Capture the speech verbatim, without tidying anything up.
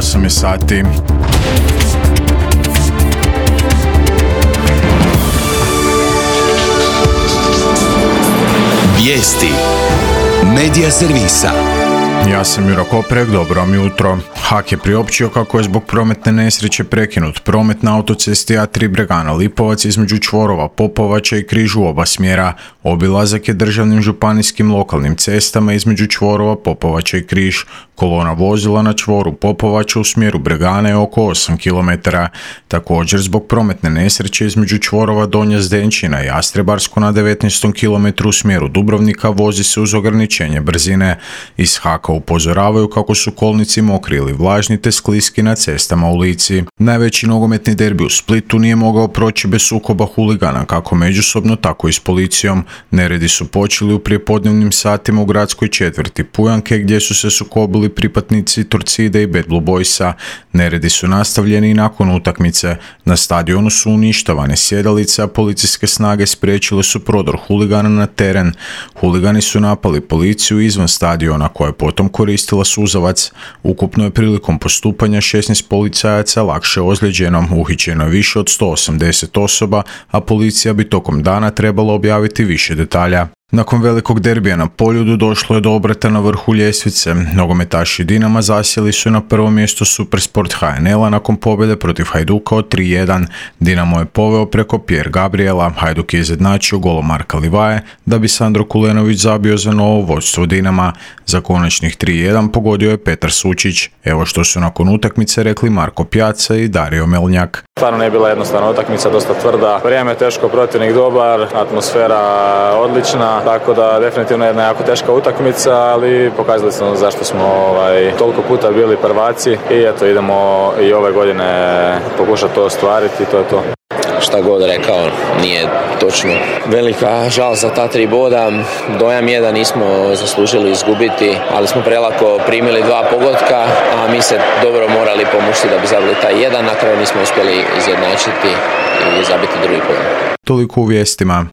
osam je sati. Vijesti Medija servisa. Ja sam Juro Koprek, dobro vam jutro. H A K je priopćio kako je zbog prometne nesreće prekinut promet na autocesti A tri Bregana Lipovac između čvorova Popovača i Križ u oba smjera. Obilazak je državnim, županijskim, lokalnim cestama između čvorova Popovača i Križ. Kolona vozila na čvoru Popovača u smjeru Bregane je oko osam kilometara. Također zbog prometne nesreće između čvorova Donja Zdenčina i Jastrebarsko na devetnaestom kilometru u smjeru Dubrovnika vozi se uz ograničenje brzine. Iz H A K-a upozoravaju kako su kolnici mokri ili vlažni te skliski na cestama u Lici. Najveći nogometni derbi u Splitu nije mogao proći bez sukoba huligana kako međusobno tako i s policijom. Neredi su počeli u prijepodnevnim satima u gradskoj četvrti Pujanke gdje su se sukobili pripadnici Torcide i Bad Blue Boysa. Neredi su nastavljeni i nakon utakmice. Na stadionu su uništavane sjedalice, a policijske snage spriječile su prodor huligana na teren. Huligani su napali policiju izvan stadiona koja je potom koristila suzavac. Ukupno je prilikom postupanja šesnaest policajaca lakše ozlijeđeno, uhićeno je više od sto osamdeset osoba, a policija bi tokom dana trebala objaviti više detalja. Nakon velikog derbija na Poljudu došlo je do obrata na vrhu ljestvice. Nogometaši Dinama zasjeli su na prvo mjesto Supersport H N L-a nakon pobjede protiv Hajduka od tri jedan. Dinamo je poveo preko Pierre Gabriela, Hajduk je izjednačio golom Marka Livaje, da bi Sandro Kulenović zabio za novo vodstvo Dinama. Za konačnih tri jedan pogodio je Petar Sučić. Evo što su nakon utakmice rekli Marko Pjaca i Dario Melnjak. Stvarno nije bila jednostavna utakmica, dosta tvrda. Vrijeme teško, protivnik dobar, atmosfera odlična, tako da definitivno je jedna jako teška utakmica, ali pokazali smo zašto smo ovaj, toliko puta bili prvaci i eto idemo i ove godine pokušati to ostvariti, to je to. Šta god rekao, nije točno. Velika žal za ta tri boda. Dojam je da nismo zaslužili izgubiti, ali smo prelako primili dva pogotka, a mi se dobro morali pomušiti da bi zabili taj jedan. Na kraju nismo uspjeli izjednačiti i zabiti drugi pogodak. Toliko u vijestima.